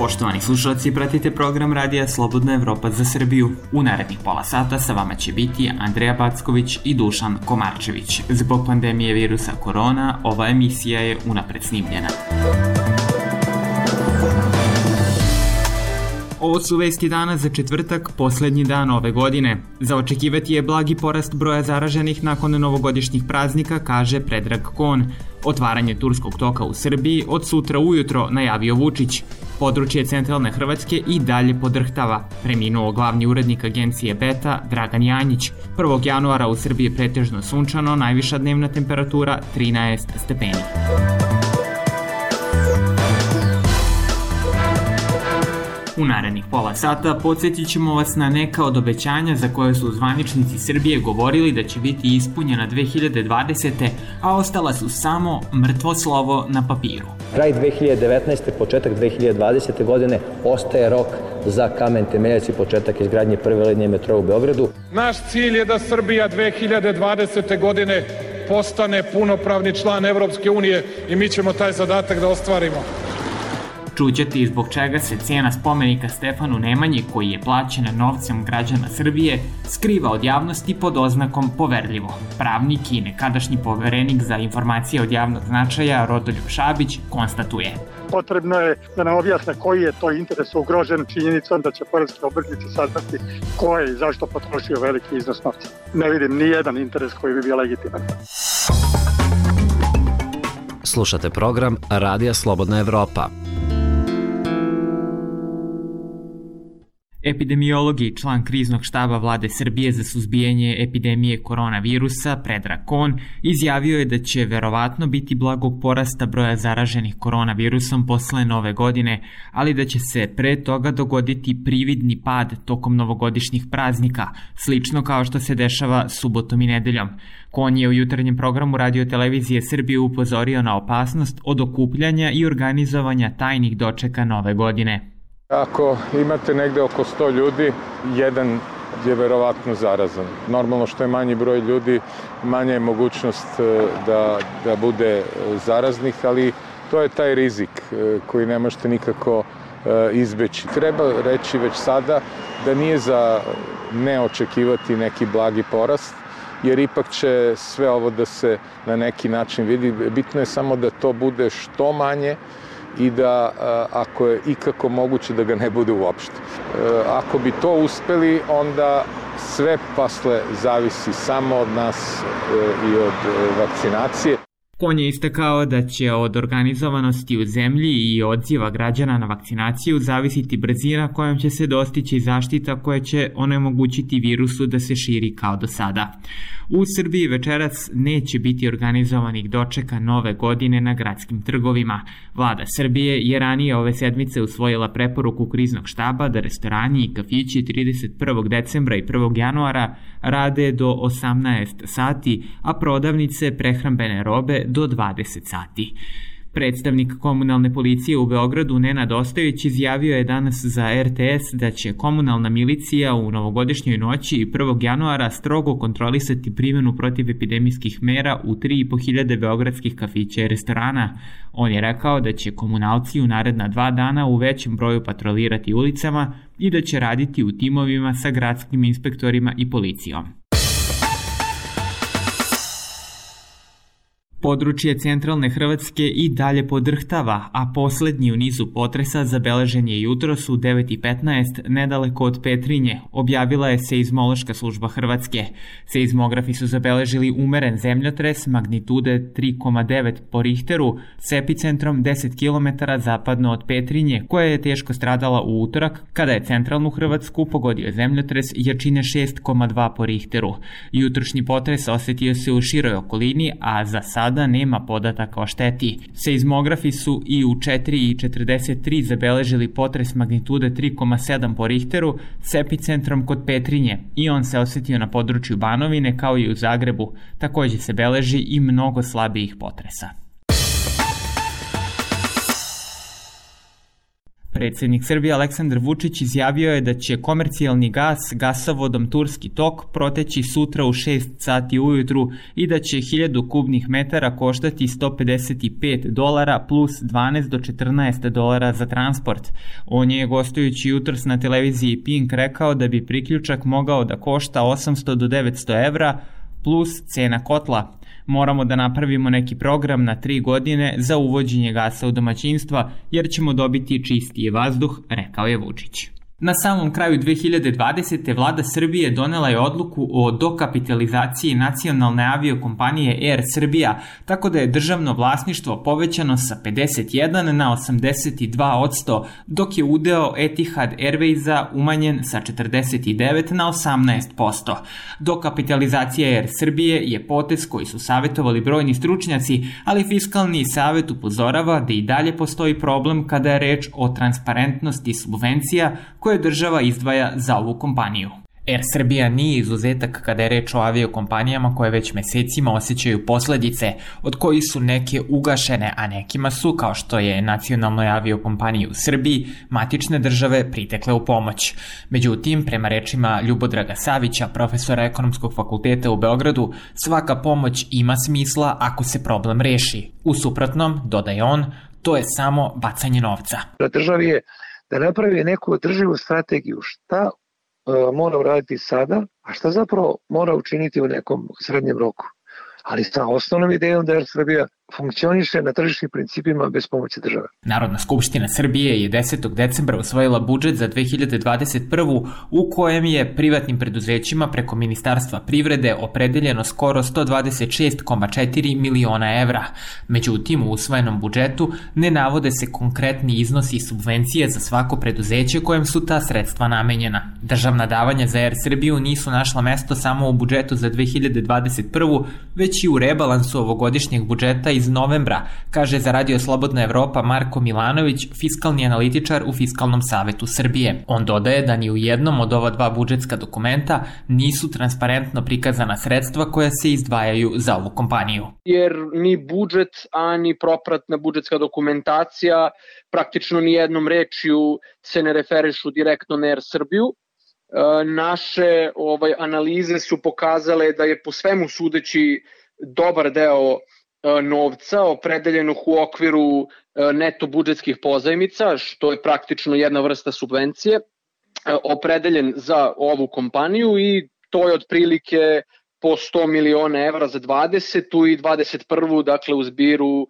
Poštovani slušalci, pratite program Radija Slobodna Evropa za Srbiju. U narednih pola sata sa vama će biti Andreja Backović i Dušan Komarčević. Zbog pandemije virusa korona, ova emisija je unapred snimljena. Ovo su vesti dana za četvrtak, poslednji dan ove godine. Za očekivati je blagi porast broja zaraženih nakon novogodišnjih praznika, kaže Predrag Kon. Otvaranje turskog toka u Srbiji od sutra ujutro, najavio Vučić. Područje centralne Hrvatske i dalje podrhtava. Preminuo glavni urednik agencije Beta, Dragan Janjić. 1. januara u Srbiji je pretežno sunčano, najviša dnevna temperatura 13 stepeni. U narednih pola sata podsjetit ćemo vas na neka od obećanja za koje su zvaničnici Srbije govorili da će biti ispunjena 2020. a ostala su samo mrtvo slovo na papiru. Kraj 2019. početak 2020. godine ostaje rok za kamen temeljac i početak izgradnje prve linije metroa u Beogradu. Naš cilj je da Srbija 2020. godine postane punopravni član Evropske unije i mi ćemo taj zadatak da ostvarimo. Čućete i zbog čega se cena spomenika Stefanu Nemanji, koji je plaćena novcem građana Srbije, skriva od javnosti pod oznakom poverljivo. Pravnik i nekadašnji poverenik za informacije od javnog značaja Rodoljub Šabić konstatuje. Potrebno je da nam objasne koji je to interes ugrožen činjenicom da će poreski obveznici saznati ko je i zašto potrošio veliki iznos novca. Ne vidim ni jedan interes koji bi bio legitiman. Slušate program Radija Slobodna Evropa. Epidemiolog i član kriznog štaba vlade Srbije za suzbijanje epidemije koronavirusa, Predrag Kon, izjavio je da će verovatno biti blagog porasta broja zaraženih koronavirusom posle nove godine, ali da će se pre toga dogoditi prividni pad tokom novogodišnjih praznika, slično kao što se dešava subotom i nedeljom. Kon je u jutarnjem programu Radio-televizije Srbije upozorio na opasnost od okupljanja i organizovanja tajnih dočeka nove godine. Ako imate negde oko 100 ljudi, jedan je verovatno zarazan. Normalno što je manji broj ljudi, manja je mogućnost da bude zaraznih, ali to je taj rizik koji ne možete nikako izbeći. Treba reći već sada da nije za ne očekivati neki blagi porast, jer ipak će sve ovo da se na neki način vidi. Bitno je samo da to bude što manje i da ako je ikako moguće da ga ne bude uopšte. Ako bi to uspeli, onda sve posle zavisi samo od nas i od vakcinacije. Kon je istakao da će od organizovanosti u zemlji i odziva građana na vakcinaciju zavisiti brzina kojom će se dostići zaštita koja će onemogućiti virusu da se širi kao do sada. U Srbiji večeras neće biti organizovanih dočeka nove godine na gradskim trgovima. Vlada Srbije je ranije ove sedmice usvojila preporuku kriznog štaba da restorani i kafići 31. decembra i 1. januara rade do 18 sati, a prodavnice prehrambene robe do 20 sati. Predstavnik komunalne policije u Beogradu Nenad Ostojić izjavio je danas za RTS da će komunalna milicija u novogodišnjoj noći i 1. januara strogo kontrolisati primjenu protivepidemijskih mera u 3.500 beogradskih kafića i restorana. On je rekao da će komunalci u naredna 2 dana u većem broju patrolirati ulicama i da će raditi u timovima sa gradskim inspektorima i policijom. Područje centralne Hrvatske i dalje podrhtava, a poslednji u nizu potresa zabeležen je jutros u 9:15 nedaleko od Petrinje, objavila je Seizmološka služba Hrvatske. Seizmografi su zabeležili umeren zemljotres magnitude 3,9 po Richteru s epicentrom 10 km zapadno od Petrinje, koja je teško stradala u utorak kada je centralnu Hrvatsku pogodio zemljotres jačine 6,2 po Richteru. Jutrošnji potres osetio se u široj okolini, a za sada nema podataka o šteti. Seizmografi su i u 4:43 zabeležili potres magnitude 3,7 po Richteru s epicentrom kod Petrinje i on se osetio na području Banovine kao i u Zagrebu. Takođe se beleži i mnogo slabijih potresa. Predsjednik Srbije Aleksandar Vučić izjavio je da će komercijalni gas gasovodom Turski tok proteći sutra u 6 sati ujutru i da će 1000 kubnih metara koštati $155 plus 12 do $14 za transport. On je, gostujući jutros na televiziji Pink, rekao da bi priključak mogao da košta 800 do 900 evra plus cena kotla. Moramo da napravimo neki program na 3 godine za uvođenje gasa u domaćinstva, jer ćemo dobiti čistiji vazduh, rekao je Vučić. Na samom kraju 2020. vlada Srbije donela je odluku o dokapitalizaciji nacionalne aviokompanije Air Srbija, tako da je državno vlasništvo povećano sa 51 na 82%, dok je udeo Etihad Airwaysa umanjen sa 49 na 18%. Dokapitalizacija Air Srbije je potez koji su savjetovali brojni stručnjaci, ali Fiskalni savet upozorava da i dalje postoji problem kada je reč o transparentnosti subvencija koje država izdvaja za ovu kompaniju. Air Srbija nije izuzetak kada je reč o aviokompanijama koje već mesecima osjećaju posledice, od kojih su neke ugašene, a nekima su, kao što je nacionalnoj aviokompaniji u Srbiji, matične države pritekle u pomoć. Međutim, prema rečima Ljubodraga Savića, profesora Ekonomskog fakulteta u Beogradu, svaka pomoć ima smisla ako se problem reši. U suprotnom, dodaje on, to je samo bacanje novca. Državi je da napravi neku održivu strategiju šta mora uraditi sada, a šta zapravo mora učiniti u nekom srednjem roku. Ali sa osnovnom idejom da Air Srbija funkcioniše na tržišnim principima bez pomoći države. Narodna skupština Srbije je 10. decembra usvojila budžet za 2021. u kojem je privatnim preduzećima preko Ministarstva privrede opredeljeno skoro 126,4 miliona evra. Međutim, u usvojenom budžetu ne navode se konkretni iznosi subvencije za svako preduzeće kojem su ta sredstva namenjena. Državna davanja za Air Srbiju nisu našla mesto samo u budžetu za 2021. već i u rebalansu ovogodišnjeg budžeta iz novembra, kaže za Radio Slobodna Evropa Marko Milanović, fiskalni analitičar u Fiskalnom savetu Srbije. On dodaje da ni u jednom od ova dva budžetska dokumenta nisu transparentno prikazana sredstva koja se izdvajaju za ovu kompaniju. Jer ni budžet, a ni propratna budžetska dokumentacija praktično ni jednom rečju se ne referišu direktno na Air Srbiju. Naše analize su pokazale da je po svemu sudeći dobar deo novca opredeljenog u okviru neto budžetskih pozajmica, što je praktično jedna vrsta subvencije, opredeljen za ovu kompaniju i to je otprilike po 100 miliona evra za 20. i 21. dakle u zbiru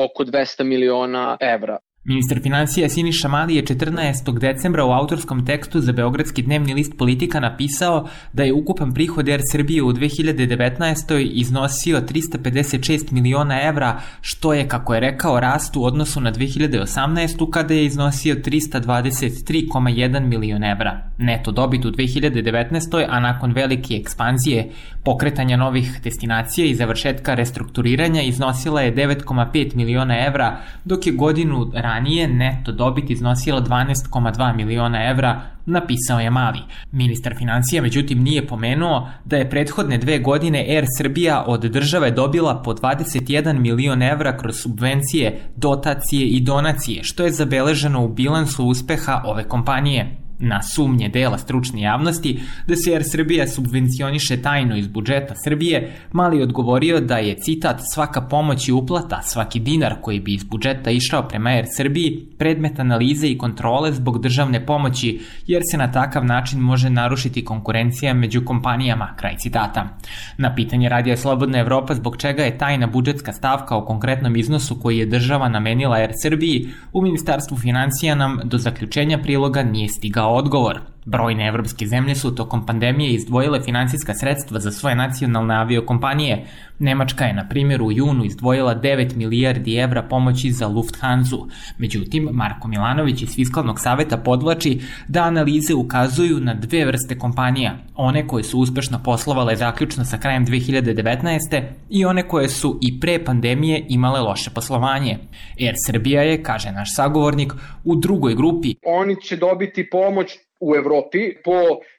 oko 200 miliona evra. Ministar finansija Siniša Mali je 14. decembra u autorskom tekstu za beogradski dnevni list Politika napisao da je ukupan prihod Air Srbije u 2019. iznosio 356 miliona evra, što je, kako je rekao, rast u odnosu na 2018. kada je iznosio 323,1 milion evra. Neto dobit u 2019. a nakon velike ekspanzije, pokretanja novih destinacija i završetka restrukturiranja iznosila je 9,5 miliona evra, dok je godinu ranije neto dobit iznosila 12,2 miliona evra, napisao je Mali. Ministar financija međutim nije pomenuo da je prethodne 2 godine Air Srbija od države dobila po 21 milion evra kroz subvencije, dotacije i donacije, što je zabeleženo u bilansu uspeha ove kompanije. Na sumnje dela stručne javnosti da se Air Srbija subvencioniše tajno iz budžeta Srbije, Mali odgovorio da je, citat, svaka pomoć i uplata, svaki dinar koji bi iz budžeta išao prema Air Srbiji predmet analize i kontrole zbog državne pomoći, jer se na takav način može narušiti konkurencija među kompanijama, kraj citata. Na pitanje Radija Slobodna Evropa zbog čega je tajna budžetska stavka o konkretnom iznosu koji je država namenila Air Srbiji, u Ministarstvu financija nam do zaključenja priloga nije stigao odgovor. Brojne evropske zemlje su tokom pandemije izdvojile finansijska sredstva za svoje nacionalne aviokompanije. Nemačka je, na primjer, u junu izdvojila 9 milijardi evra pomoći za Lufthansa. Međutim, Marko Milanović iz Fiskalnog saveta podvlači da analize ukazuju na 2 vrste kompanija. One koje su uspešno poslovale zaključno sa krajem 2019. i one koje su i pre pandemije imale loše poslovanje. Air Srbija je, kaže naš sagovornik, u drugoj grupi. Oni će dobiti pomoć u Evropi po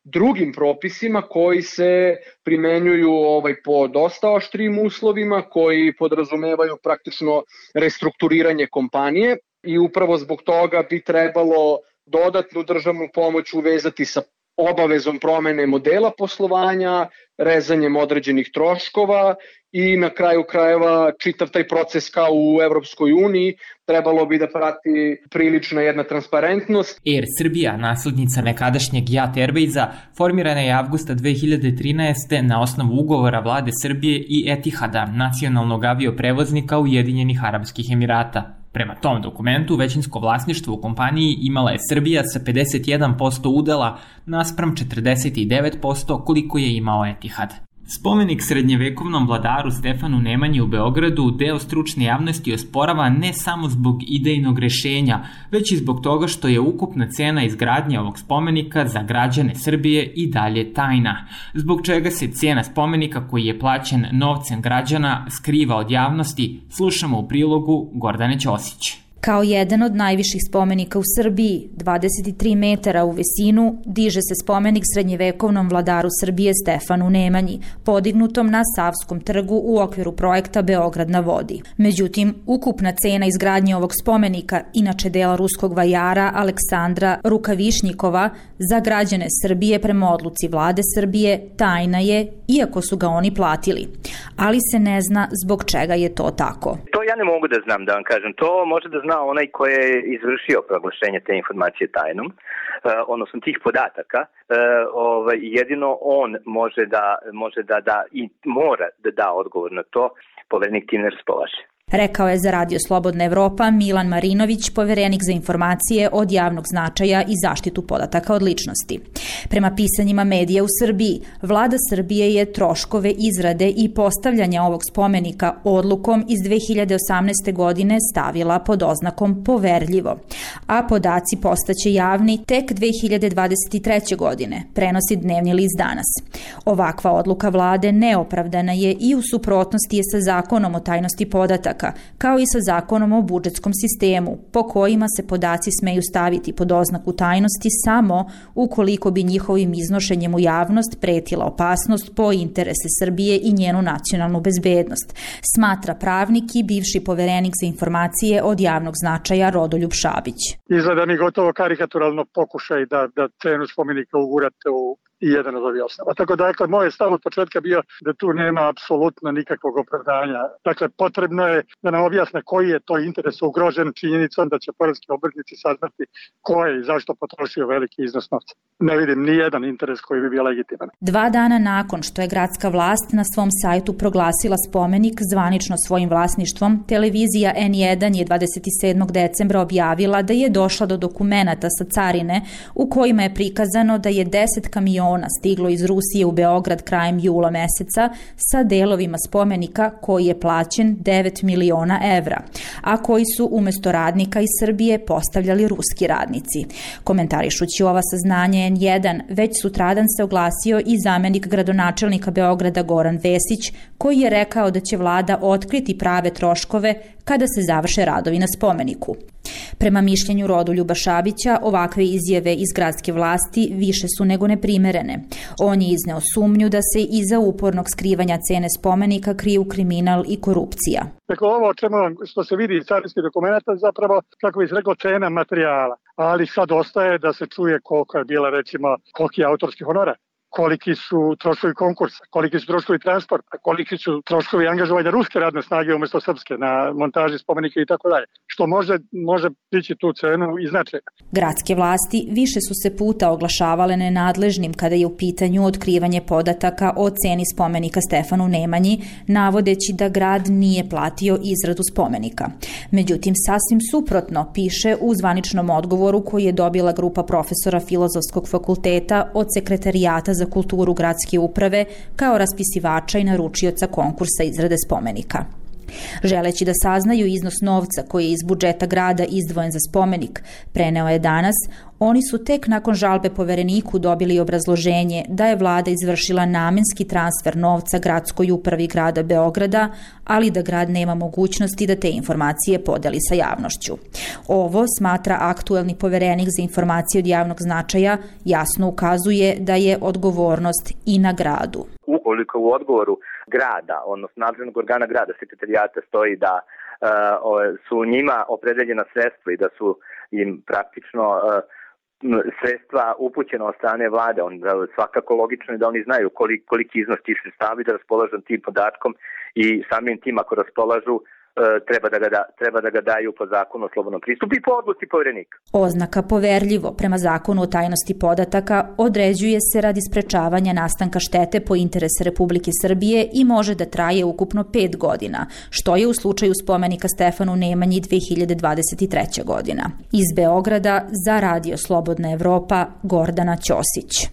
drugim propisima koji se primenjuju po dosta oštrijim uslovima, koji podrazumevaju praktično restrukturiranje kompanije i upravo zbog toga bi trebalo dodatnu državnu pomoć uvezati sa obavezom promene modela poslovanja, rezanjem određenih troškova i na kraju krajeva čitav taj proces kao u Evropskoj uniji trebalo bi da prati prilična jedna transparentnost. Air Srbija, naslednica nekadašnjeg JAT Airwaysa, formirana je avgusta 2013. na osnovu ugovora vlade Srbije i Etihada, nacionalnog avioprevoznika Ujedinjenih Arapskih Emirata. Prema tom dokumentu, većinsko vlasništvo u kompaniji imala je Srbija sa 51% udela naspram 49% koliko je imao Etihad. Spomenik srednjevekovnom vladaru Stefanu Nemanji u Beogradu deo stručne javnosti osporava ne samo zbog idejnog rešenja, već i zbog toga što je ukupna cena izgradnje ovog spomenika za građane Srbije i dalje tajna, zbog čega se cena spomenika koji je plaćen novcem građana skriva od javnosti, slušamo u prilogu Gordane Ćosić. Kao jedan od najviših spomenika u Srbiji, 23 metara u visinu, diže se spomenik srednjevekovnom vladaru Srbije Stefanu Nemanji, podignutom na Savskom trgu u okviru projekta Beograd na vodi. Međutim, ukupna cena izgradnje ovog spomenika, inače dela ruskog vajara Aleksandra Rukavišnjikova, za građane Srbije prema odluci vlade Srbije tajna je, iako su ga oni platili. Ali se ne zna zbog čega je to tako. To ja ne mogu da znam, da vam kažem. To može da zna onaj ko je izvršio proglašenje te informacije tajnom, odnosno tih podataka. Jedino on može da i mora da da odgovor na to, poverenik time raspolaže. Rekao je za Radio Slobodna Evropa Milan Marinović, poverenik za informacije od javnog značaja i zaštitu podataka od ličnosti. Prema pisanjima medija u Srbiji, vlada Srbije je troškove izrade i postavljanja ovog spomenika odlukom iz 2018. godine stavila pod oznakom poverljivo, a podaci postaće javni tek 2023. godine, prenosi dnevni list Danas. Ovakva odluka vlade neopravdana je i u suprotnosti je sa zakonom o tajnosti podataka, kao i sa zakonom o budžetskom sistemu, po kojima se podaci smeju staviti pod oznaku tajnosti samo ukoliko bi njihovim iznošenjem u javnost pretila opasnost po interese Srbije i njenu nacionalnu bezbednost, smatra pravnik i bivši poverenik za informacije od javnog značaja Rodoljub Šabić. Izgleda mi gotovo karikaturalno pokušaj da cenu spomenika ugurate u i jedan od ovih osnova. Tako da, moj stav od početka bio da tu nema apsolutno nikakvog opravdanja. Dakle, potrebno je da nam objasne koji je to interes ugrožen činjenicom da će poreski obveznici saznati ko je i zašto potrošio veliki iznos novca. Ne vidim ni jedan interes koji bi bio legitiman. 2 dana nakon što je gradska vlast na svom sajtu proglasila spomenik zvanično svojim vlasništvom, televizija N1 je 27. decembra objavila da je došla do dokumenata sa carine u kojima je prikazano da je 10 kamiona stiglo iz Rusije u Beograd krajem jula meseca sa delovima spomenika koji je plaćen 9 miliona evra, a koji su umesto radnika iz Srbije postavljali ruski radnici. Komentarišući ova saznanja N1, već sutradan se oglasio i zamenik gradonačelnika Beograda Goran Vesić, koji je rekao da će vlada otkriti prave troškove kada se završe radovi na spomeniku. Prema mišljenju Rodoljuba Šabića, ovakve izjave iz gradske vlasti više su nego neprimerene. On je izneo sumnju da se iza upornog skrivanja cene spomenika kriju kriminal i korupcija. Dakle, ovo o čemu što se vidi iz carinskih dokumenta zapravo, kako bi se reklo, cena materijala. Ali sad ostaje da se čuje koliko je bila, recimo, koliki je autorski honorar, koliki su troškovi konkursa, koliki su troškovi transporta, koliki su troškovi angažovanja ruske radne snage umesto srpske na montaži spomenika i tako dalje, što može dići tu cenu i značaj. Gradske vlasti više su se puta oglašavale nenadležnim kada je u pitanju otkrivanje podataka o ceni spomenika Stefanu Nemanji, navodeći da grad nije platio izradu spomenika. Međutim, sasvim suprotno piše u zvaničnom odgovoru koji je dobila grupa profesora Filozofskog fakulteta od Sekretarijata za kulturu gradske uprave kao raspisivača i naručioca konkursa izrade spomenika. Želeći da saznaju iznos novca koji je iz budžeta grada izdvojen za spomenik, preneo je Danas, oni su tek nakon žalbe povereniku dobili obrazloženje da je vlada izvršila namenski transfer novca gradskoj upravi grada Beograda, ali da grad nema mogućnosti da te informacije podeli sa javnošću. Ovo, smatra aktuelni poverenik za informacije od javnog značaja, jasno ukazuje da je odgovornost i na gradu. Ukoliko u odgovoru grada, odnosno nadležnog organa grada, sekretarijata, stoji da su njima opredeljena sredstva i da su im praktično sredstva upućena od strane vlade, svakako logično je da oni znaju koliki iznos tih sredstava i da raspolažu tim podatkom i samim tim ako raspolažu treba da ga daju po zakonu o slobodnom pristupu i po odluci Poverenika. Oznaka poverljivo prema zakonu o tajnosti podataka određuje se radi sprečavanja nastanka štete po interese Republike Srbije i može da traje ukupno 5 godina, što je u slučaju spomenika Stefanu Nemanji 2023. godina. Iz Beograda za Radio Slobodna Evropa, Gordana Ćosić.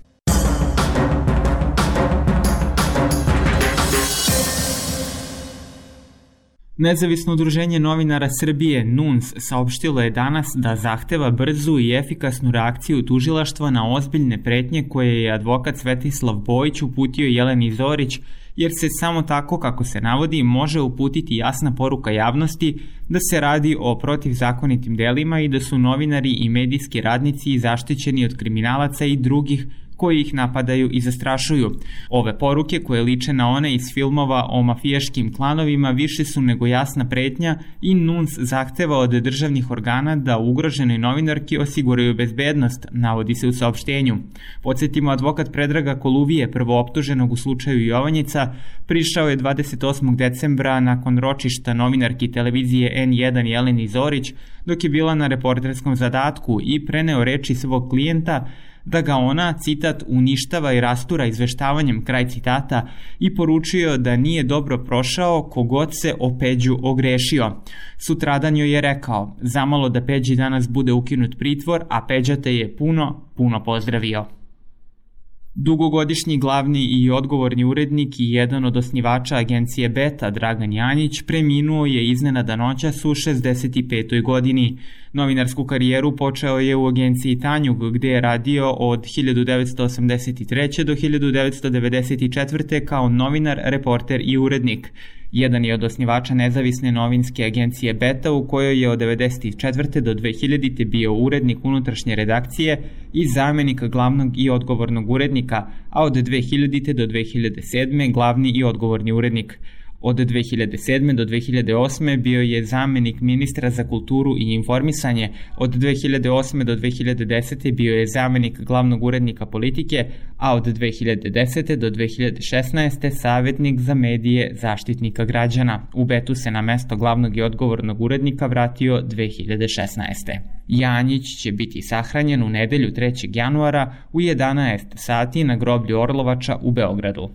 Nezavisno udruženje novinara Srbije NUNS saopštilo je danas da zahteva brzu i efikasnu reakciju tužilaštva na ozbiljne pretnje koje je advokat Svetislav Bojić uputio Jeleni Zorić, jer se samo tako, kako se navodi, može uputiti jasna poruka javnosti da se radi o protivzakonitim delima i da su novinari i medijski radnici zaštićeni od kriminalaca i drugih koji ih napadaju i zastrašuju. Ove poruke, koje liče na one iz filmova o mafijaškim klanovima, više su nego jasna pretnja i NUNS zahteva od državnih organa da ugroženoj novinarki osiguraju bezbednost, navodi se u saopštenju. Podsjetimo, advokat Predraga Koluvije, prvooptuženog u slučaju Jovanjica, prišao je 28. decembra nakon ročišta novinarki televizije N1 Jeleni Zorić, dok je bila na reporterskom zadatku i preneo reči svog klijenta da ga ona, citat, uništava i rastura izveštavanjem, kraj citata, i poručio da nije dobro prošao kogod se o Peđu ogrešio. Sutradan joj je rekao, zamalo da Peđi danas bude ukinut pritvor, a Peđa te je puno pozdravio. Dugogodišnji glavni i odgovorni urednik i jedan od osnivača agencije Beta, Dragan Janjić, preminuo je iznenada noćas u 65. godini. Novinarsku karijeru počeo je u agenciji Tanjug, gde je radio od 1983. do 1994. kao novinar, reporter i urednik. Jedan je od osnivača nezavisne novinske agencije Beta, u kojoj je od 1994. do 2000. bio urednik unutrašnje redakcije i zamenik glavnog i odgovornog urednika, a od 2000. do 2007. glavni i odgovorni urednik. Od 2007. do 2008. bio je zamenik ministra za kulturu i informisanje, od 2008. do 2010. bio je zamenik glavnog urednika politike, a od 2010. do 2016. savjetnik za medije Zaštitnika građana. U Betu se na mesto glavnog i odgovornog urednika vratio 2016. Janjić će biti sahranjen u nedelju 3. januara u 11 sati na groblju Orlovača u Beogradu.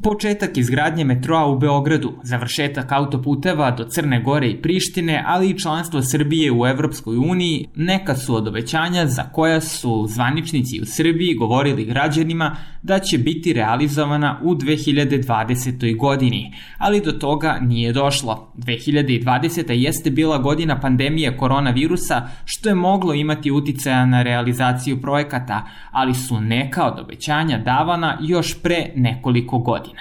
Početak izgradnje metroa u Beogradu, završetak autoputeva do Crne Gore i Prištine, ali i članstvo Srbije u Evropskoj uniji neka su od obećanja za koja su zvaničnici u Srbiji govorili građanima da će biti realizovana u 2020. godini, ali do toga nije došlo. 2020. jeste bila godina pandemije koronavirusa, što je moglo imati uticaja na realizaciju projekata, ali su neka od obećanja davana još pre nekoliko godina.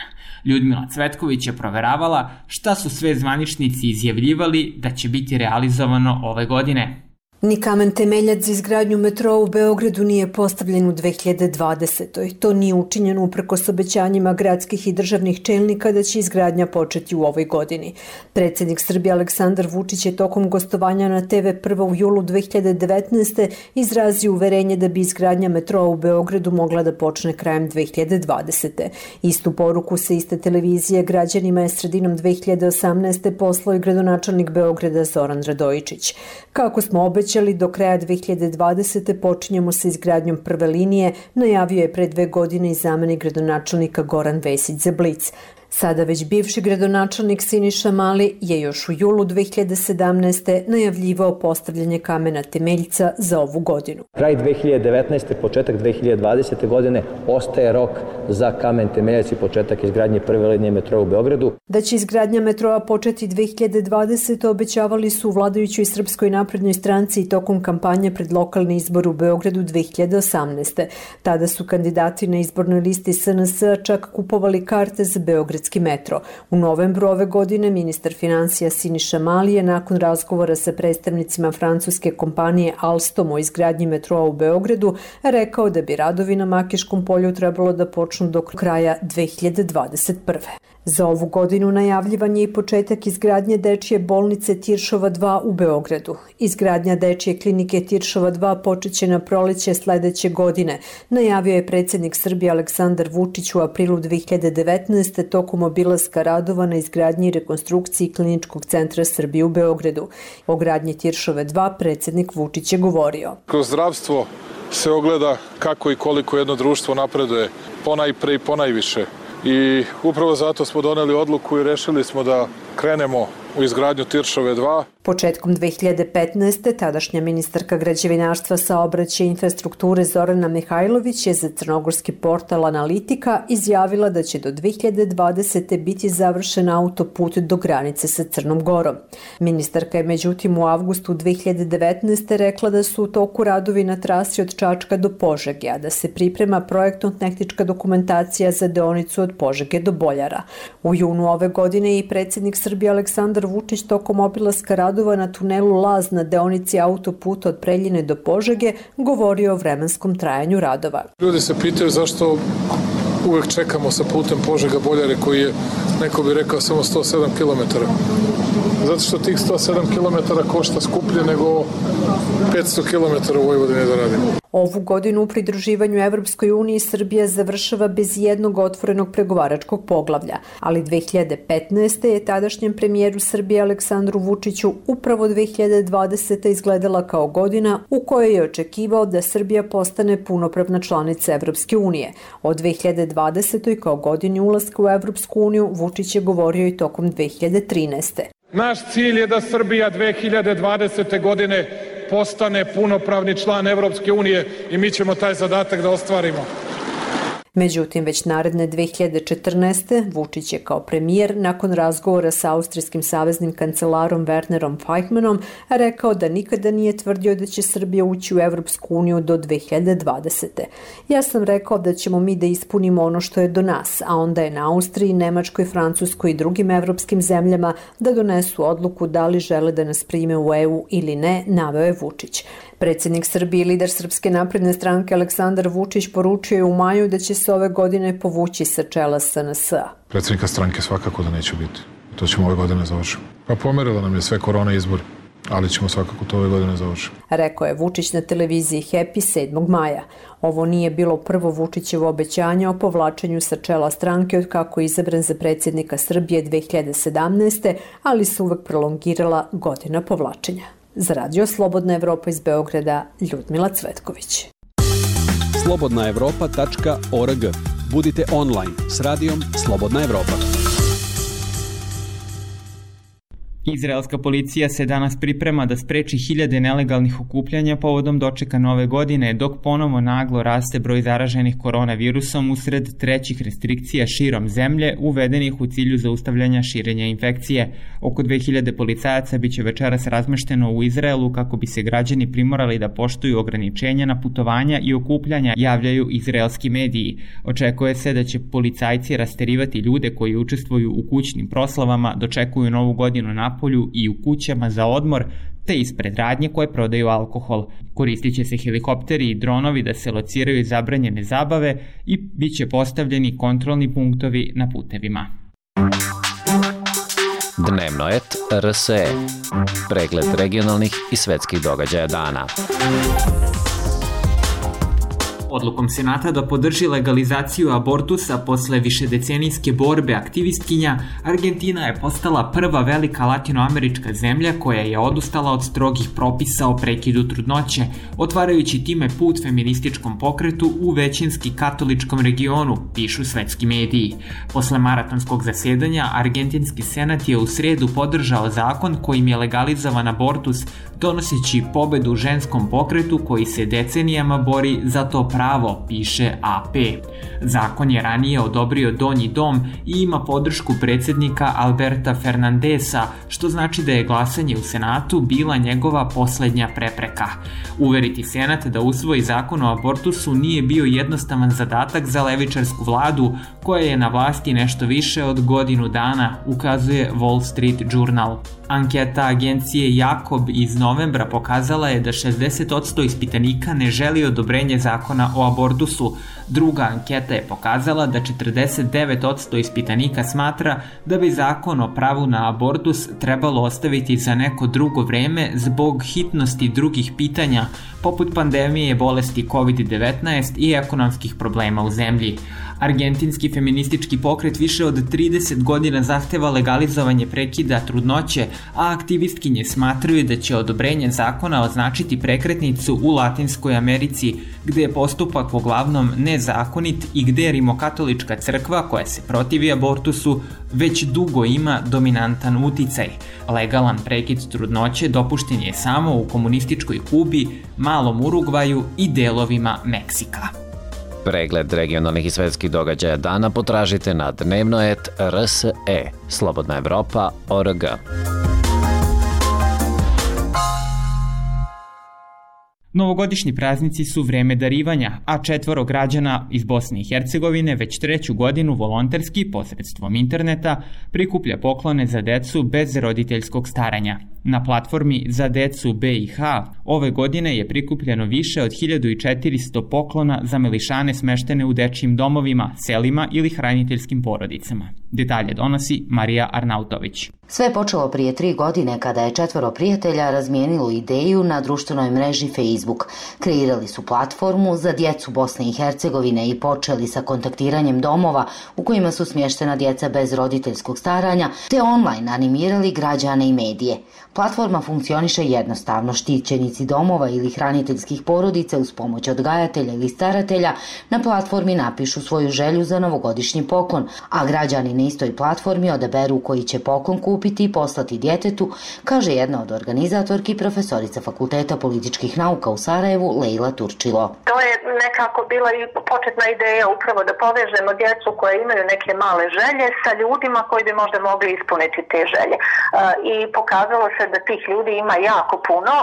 Ljudmila Cvetković je proveravala šta su sve zvaničnici izjavljivali da će biti realizovano ove godine. Ni kamen temeljac za izgradnju metroa u Beogradu nije postavljen u 2020. To nije učinjeno uprkos obećanjima gradskih i državnih čelnika da će izgradnja početi u ovoj godini. Predsjednik Srbije Aleksandar Vučić je tokom gostovanja na TV Prva u julu 2019. izrazio uverenje da bi izgradnja metroa u Beogradu mogla da počne krajem 2020. Istu poruku sa iste televizije građanima je sredinom 2018. poslao i gradonačelnik Beograda Zoran Radojičić. Kako smo obećali, do kraja 2020. počinjemo sa izgradnjom prve linije, najavio je pre 2 godine i zamenik gradonačelnika Goran Vesić za Blic. Sada već bivši gradonačelnik Siniša Mali je još u julu 2017. najavljivao postavljanje kamena temeljca za ovu godinu. Kraj 2019. početak 2020. godine ostaje rok za kamen temeljac i početak izgradnje prve linije metroa u Beogradu. Da će izgradnja metroa početi 2020. obećavali su u vladajućoj Srpskoj naprednoj stranci i tokom kampanje pred lokalni izbor u Beogradu 2018. Tada su kandidati na izbornoj listi SNS čak kupovali karte za beogradski beogradski metro. U novembru ove godine ministar finansija Siniša Mali je nakon razgovora sa predstavnicima francuske kompanije Alstom o izgradnji metroa u Beogradu rekao da bi radovi na Makiškom polju trebalo da počnu do kraja 2021. Za ovu godinu najavljivan je i početak izgradnje dečije bolnice Tiršova 2 u Beogradu. Izgradnja dečije klinike Tiršova 2 počeće na proleće sledeće godine, najavio je predsjednik Srbije Aleksandar Vučić u aprilu 2019. tokom obilaska radova na izgradnji i rekonstrukciji Kliničkog centra Srbije u Beogradu. O gradnji Tiršove 2 predsjednik Vučić je govorio. Kroz zdravstvo se ogleda kako i koliko jedno društvo napreduje, ponajpre i ponajviše. I upravo zato smo doneli odluku i rešili smo da krenemo u izgradnju Tiršove 2. Početkom 2015. tadašnja ministarka građevinarstva, saobraćaja i infrastrukture Zorana Mihajlović je za crnogorski portal Analitika izjavila da će do 2020. biti završen autoput do granice sa Crnom Gorom. Ministarka je međutim u avgustu 2019. rekla da su u toku radovi na trasi od Čačka do Požege, a da se priprema projektno-tehnička dokumentacija za deonicu od Požege do Boljara. U junu ove godine i predsjednik Srbije Aleksandar Vučić tokom obilaska radova na tunelu Laz na deonici autoputa od Preljine do Požege govorio o vremenskom trajanju radova. Ljudi se pitaju zašto uvek čekamo sa putem Požega-Boljare koji je, neko bi rekao, samo 107 km. Zato što tih 107 km košta skuplje nego 500 km u Vojvodini da radimo. Ovu godinu u pridruživanju Evropskoj uniji Srbija završava bez jednog otvorenog pregovaračkog poglavlja, ali 2015. je tadašnjem premijeru Srbije Aleksandru Vučiću upravo 2020. izgledala kao godina u kojoj je očekivao da Srbija postane punopravna članica Evropske unije. O 2020. kao godini ulaska u Evropsku uniju Vučić je govorio i tokom 2013. Naš cilj je da Srbija 2020. godine postane punopravni član Evropske unije i mi ćemo taj zadatak da ostvarimo. Međutim, već naredne 2014. Vučić je kao premijer nakon razgovora sa austrijskim saveznim kancelarom Wernerom Feichmannom rekao da nikada nije tvrdio da će Srbija ući u Evropsku uniju do 2020. Ja sam rekao da ćemo mi da ispunimo ono što je do nas, a onda je na Austriji, Nemačkoj, Francuskoj i drugim evropskim zemljama da donesu odluku da li žele da nas prime u EU ili ne, naveo je Vučić. Predsjednik Srbije i lider Srpske napredne stranke Aleksandar Vučić poručio je u maju da će se ove godine povući sa čela SNS-a. Predsjednika stranke svakako da neće biti. To ćemo ove godine završiti. Pa pomerila nam je sve korona izbor, ali ćemo svakako to ove godine završiti. Rekao je Vučić na televiziji Happy 7. maja. Ovo nije bilo prvo Vučićevo obećanje o povlačenju sa čela stranke od kako je izabran za predsjednika Srbije 2017. ali se uvek prolongirala godina povlačenja. Za Radio Slobodna Evropa iz Beograda, Ljudmila Cvetković. slobodnaevropa.org. Budite online s radijom Slobodna Evropa. Izraelska policija se danas priprema da spreči hiljade nelegalnih okupljanja povodom dočeka nove godine, dok ponovo naglo raste broj zaraženih koronavirusom usred trećih restrikcija širom zemlje, uvedenih u cilju zaustavljanja širenja infekcije. Oko 2000 policajaca biće večeras razmešteno u Izraelu kako bi se građani primorali da poštuju ograničenja na putovanja i okupljanja, javljaju izraelski mediji. Očekuje se da će policajci rasterivati ljude koji učestvuju u kućnim proslavama, dočekuju novu godinu na polju i u kućama za odmor, te ispred radnje koje prodaju alkohol. Koristit će se helikopteri i dronovi da se lociraju zabranjene zabave i bit će postavljeni kontrolni punktovi na putevima. Dnevno et RSE. Pregled regionalnih i svetskih događaja dana. Odlukom Senata da podrži legalizaciju abortusa posle višedecenijske borbe aktivistkinja, Argentina je postala prva velika latinoamerička zemlja koja je odustala od strogih propisa o prekidu trudnoće, otvarajući time put feminističkom pokretu u većinski katoličkom regionu, pišu svetski mediji. Posle maratonskog zasedanja, Argentinski senat je u sredu podržao zakon kojim je legalizovan abortus, donoseći pobedu ženskom pokretu koji se decenijama bori za to pravo pravo, piše AP. Zakon je ranije odobrio Donji dom i ima podršku predsjednika Alberta Fernandesa, što znači da je glasanje u Senatu bila njegova poslednja prepreka. Uveriti Senat da usvoji zakon o abortusu nije bio jednostavan zadatak za levičarsku vladu, koja je na vlasti nešto više od godinu dana, ukazuje Wall Street Journal. Anketa agencije Jakob iz novembra pokazala je da 60% ispitanika ne želi odobrenje zakona o abortusu. Druga anketa je pokazala da 49% ispitanika smatra da bi zakon o pravu na abortus trebalo ostaviti za neko drugo vreme zbog hitnosti drugih pitanja, poput pandemije bolesti COVID-19 i ekonomskih problema u zemlji. Argentinski feministički pokret više od 30 godina zahteva legalizovanje prekida trudnoće, a aktivistkinje smatraju da će odobrenje zakona označiti prekretnicu u Latinskoj Americi, gde je postupak uglavnom nezakonit i gde Rimokatolička crkva, koja se protivi abortusu, već dugo ima dominantan uticaj. Legalan prekid trudnoće dopušten je samo u komunističkoj Kubi, malom Urugvaju i delovima Meksika. Pregled regionalnih i svetskih događaja dana potražite na dnevno.rs.e, slobodnaevropa.org. Novogodišnji praznici su vreme darivanja, a 4 građana iz Bosne i Hercegovine već 3. godinu volonterski posredstvom interneta prikuplja poklone za decu bez roditeljskog staranja. Na platformi Za decu BiH ove godine je prikupljeno više od 1400 poklona za melišane smeštene u dečijim domovima, selima ili hraniteljskim porodicama. Detalje donosi Marija Arnautović. Sve je počelo prije 3 godine kada je 4 prijatelja razmijenilo ideju na društvenoj mreži Facebook. Kreirali su platformu za djecu Bosne i Hercegovine i počeli sa kontaktiranjem domova u kojima su smještena djeca bez roditeljskog staranja, te online animirali građane i medije. Platforma funkcioniše jednostavno. Štićenici domova ili hraniteljskih porodica uz pomoć odgajatelja ili staratelja na platformi napišu svoju želju za novogodišnji poklon, a građani na istoj platformi odaberu koji će poklon kupiti i poslati djetetu, kaže jedna od organizatorki, profesorica Fakulteta političkih nauka u Sarajevu, Lejla Turčilo. To je nekako bila i početna ideja upravo da povežemo djecu koje imaju neke male želje sa ljudima koji bi možda mogli ispuniti te želje. I pokazalo se da tih ljudi ima jako puno.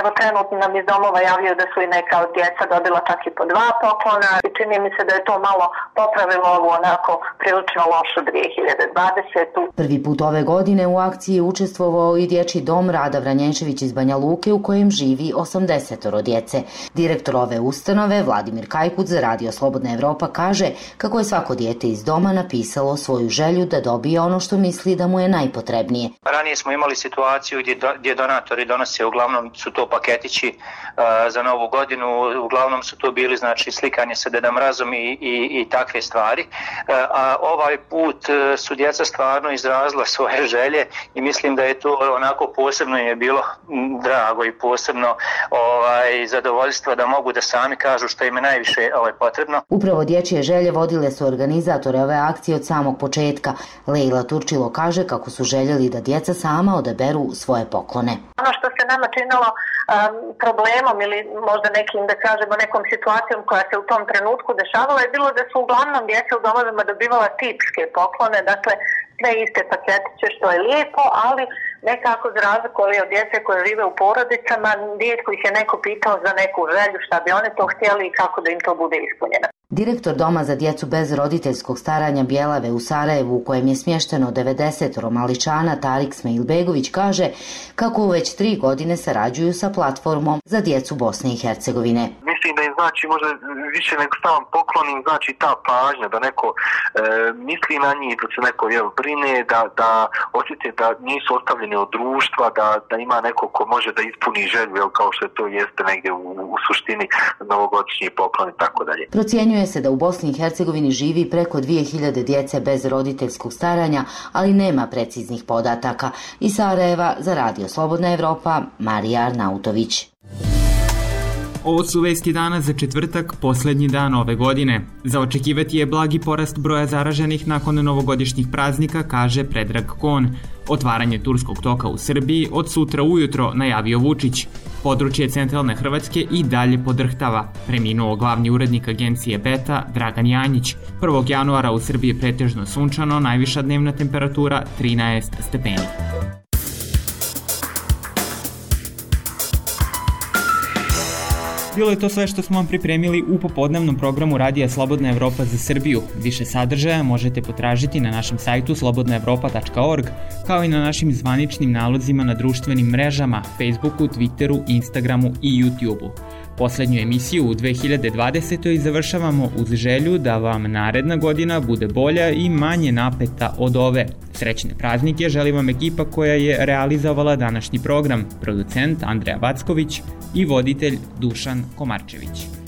Evo trenutno nam iz domova javljaju da su i neka od djeca dobila čak i po 2 poklona i čini mi se da je to malo popravilo ovu onako prilično lošu 2020. Prvi put ove godine u akciji je učestvovao i dječji dom Rada Vranješević iz Banja Luke u kojem živi 80 djece. Direktor ove ustanove, Vladimir Kajkuc, za Radio Slobodna Evropa kaže kako je svako dijete iz doma napisalo svoju želju da dobije ono što misli da mu je najpotrebnije. Ranije smo imali situaciju gdje donatori donose, uglavnom su to paketići za novu godinu, uglavnom su to bili znači slikanje sa Deda Mrazom i takve stvari. A ovaj put su djeca stvarno izrazila svoje želje i mislim da je to onako posebno je bilo drago i posebno zadovoljstvo da mogu da sami kažu što im je najviše potrebno. Upravo dječje želje vodile su organizatore ove akcije od samog početka. Lejla Turčilo kaže kako su željeli da djeca sama odaberu svoje poklone. Ono što se nama činilo problemom ili možda nekim, da kažemo, nekom situacijom koja se u tom trenutku dešavala je bilo da su uglavnom djeca u domovima dobivala tipske poklone, dakle sve iste paketiće, što je lijepo, ali nekako za razliku od djece koje žive u porodicama, rijetko ih je neko pitao za neku želju, šta bi oni to htjeli i kako da im to bude ispunjeno. Direktor Doma za djecu bez roditeljskog staranja Bjelave u Sarajevu, u kojem je smješteno 90 maličana, Tarik Smailbegović, kaže kako već 3 godine sarađuju sa platformom za djecu Bosne i Hercegovine. Mislim da im znači možda više nego sam poklon im znači ta pažnja, da neko misli na njih, da se neko brine, da osjete da nisu ostavljeni od društva, da ima neko ko može da ispuni želju, kao što to jeste negdje u suštini novogodišnji poklon i tako dalje. Procjenjuje se da u Bosni i Hercegovini živi preko 2000 djece bez roditeljskog staranja, ali nema preciznih podataka. Iz Sarajeva za Radio Slobodna Evropa, Marija Arnautović. Ovo su vesti dana za četvrtak, poslednji dan ove godine. Za očekivati je blagi porast broja zaraženih nakon novogodišnjih praznika, kaže Predrag Kon. Otvaranje turskog toka u Srbiji od sutra ujutro, najavio Vučić. Područje centralne Hrvatske i dalje podrhtava. Preminuo glavni urednik agencije Beta, Dragan Janjić. 1. januara u Srbiji je pretežno sunčano, najviša dnevna temperatura 13 stepeni. Bilo je to sve što smo vam pripremili u popodnevnom programu Radija Slobodna Evropa za Srbiju. Više sadržaja možete potražiti na našem sajtu slobodnaevropa.org, kao i na našim zvaničnim nalozima na društvenim mrežama, Facebooku, Twitteru, Instagramu i YouTubeu. Poslednju emisiju u 2020. završavamo uz želju da vam naredna godina bude bolja i manje napeta od ove. Srećne praznike želi vam ekipa koja je realizovala današnji program, producent Andreja Backović i voditelj Dušan Komarčević.